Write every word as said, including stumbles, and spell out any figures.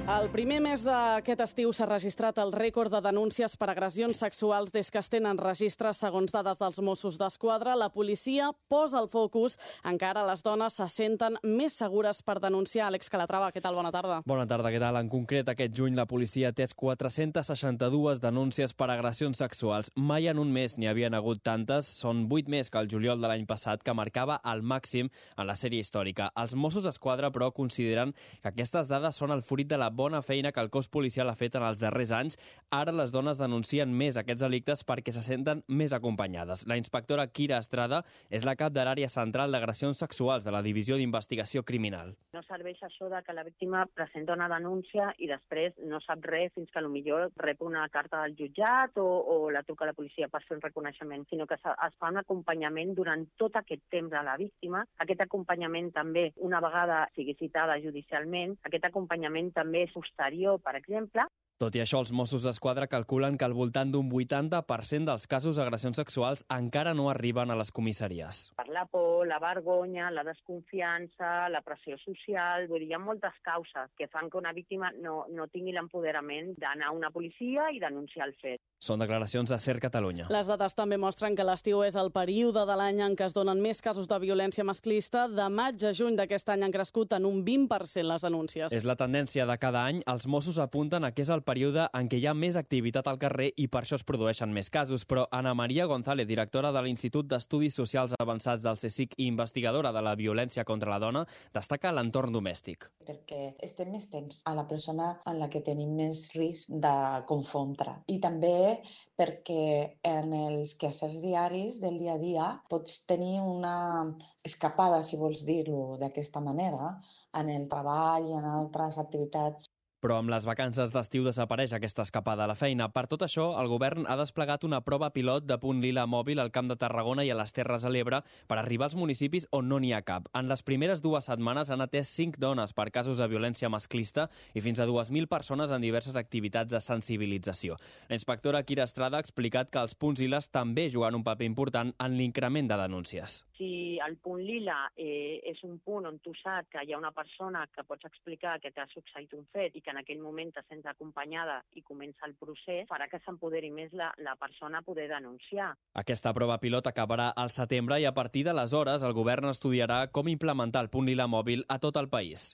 El primer mes d'aquest estiu s'ha registrat el rècord de denúncies per agressions sexuals des que es tenen registres segons dades dels Mossos d'Esquadra. La policia posa el focus en que ara les dones se senten més segures per denunciar. Àlex Calatrava, què tal? Bona tarda. Bona tarda, què tal? En concret, aquest juny la policia ha atès quatre-centes seixanta-dues denúncies per agressions sexuals. Mai en un mes n'hi havien hagut tantes. Són vuit més que el juliol de l'any passat, que marcava el màxim en la sèrie històrica. Els Mossos d'Esquadra, però, consideren que aquestes dades són el fruit de la bona feina que el cos policial ha fet en els darrers anys. Ara les dones denuncien més aquests delictes perquè se senten més acompanyades. La inspectora Kira Estrada és la cap de l'àrea central d'agressions sexuals de la Divisió d'Investigació Criminal. No serveix això de que la víctima presenta una denúncia i després no sap res fins que potser rep una carta del jutjat o, o la truca a la policia per fer un reconeixement, sinó que es fa un acompanyament durant tot aquest temps a la víctima. Aquest acompanyament també, una vegada sigui citada judicialment, aquest acompanyament també és posterior, per exemple. Tot i això, els Mossos d'Esquadra calculen que al voltant d'un vuitanta per cent dels casos d'agressions sexuals encara no arriben a les comissaries. Per la por, la vergonya, la desconfiança, la pressió social, vull dir, hi ha moltes causes que fan que una víctima no, no tingui l'empoderament d'anar a una policia i denunciar el fet. Són declaracions de SER Catalunya. Les dades també mostren que l'estiu és el període de l'any en què es donen més casos de violència masclista. De maig a juny d'aquest any han crescut en un vint per cent les denúncies. És la tendència de cada any. Els Mossos apunten a que és el període en què hi ha més activitat al carrer i per això es produeixen més casos. Però Ana Maria González, directora de l'Institut d'Estudis Socials Avançats del CSIC i investigadora de la violència contra la dona, destaca l'entorn domèstic. Perquè estem més temps a la persona en la que tenim més risc de confondre. I també perquè en els quehassers diaris del dia a dia pots tenir una escapada, si vols dir-ho d'aquesta manera, en el treball i en altres activitats. Però amb les vacances d'estiu desapareix aquesta escapada a la feina. Per tot això, el govern ha desplegat una prova pilot de punt lila mòbil al Camp de Tarragona i a les Terres de l'Ebre per arribar als municipis on no n'hi ha cap. En les primeres dues setmanes han atès cinc dones per casos de violència masclista i fins a dues mil persones en diverses activitats de sensibilització. La inspectora Kira Estrada ha explicat que els punts liles també juguen un paper important en l'increment de denúncies. Si el punt lila eh, és un punt on tu saps que hi ha una persona que pots explicar que t'ha succeït un fet i que en aquell moment te sents acompanyada i comença el procés, farà que s'empoderi més la, la persona a poder denunciar. Aquesta prova pilot acabarà al setembre i a partir d'aleshores el govern estudiarà com implementar el punt lila mòbil a tot el país.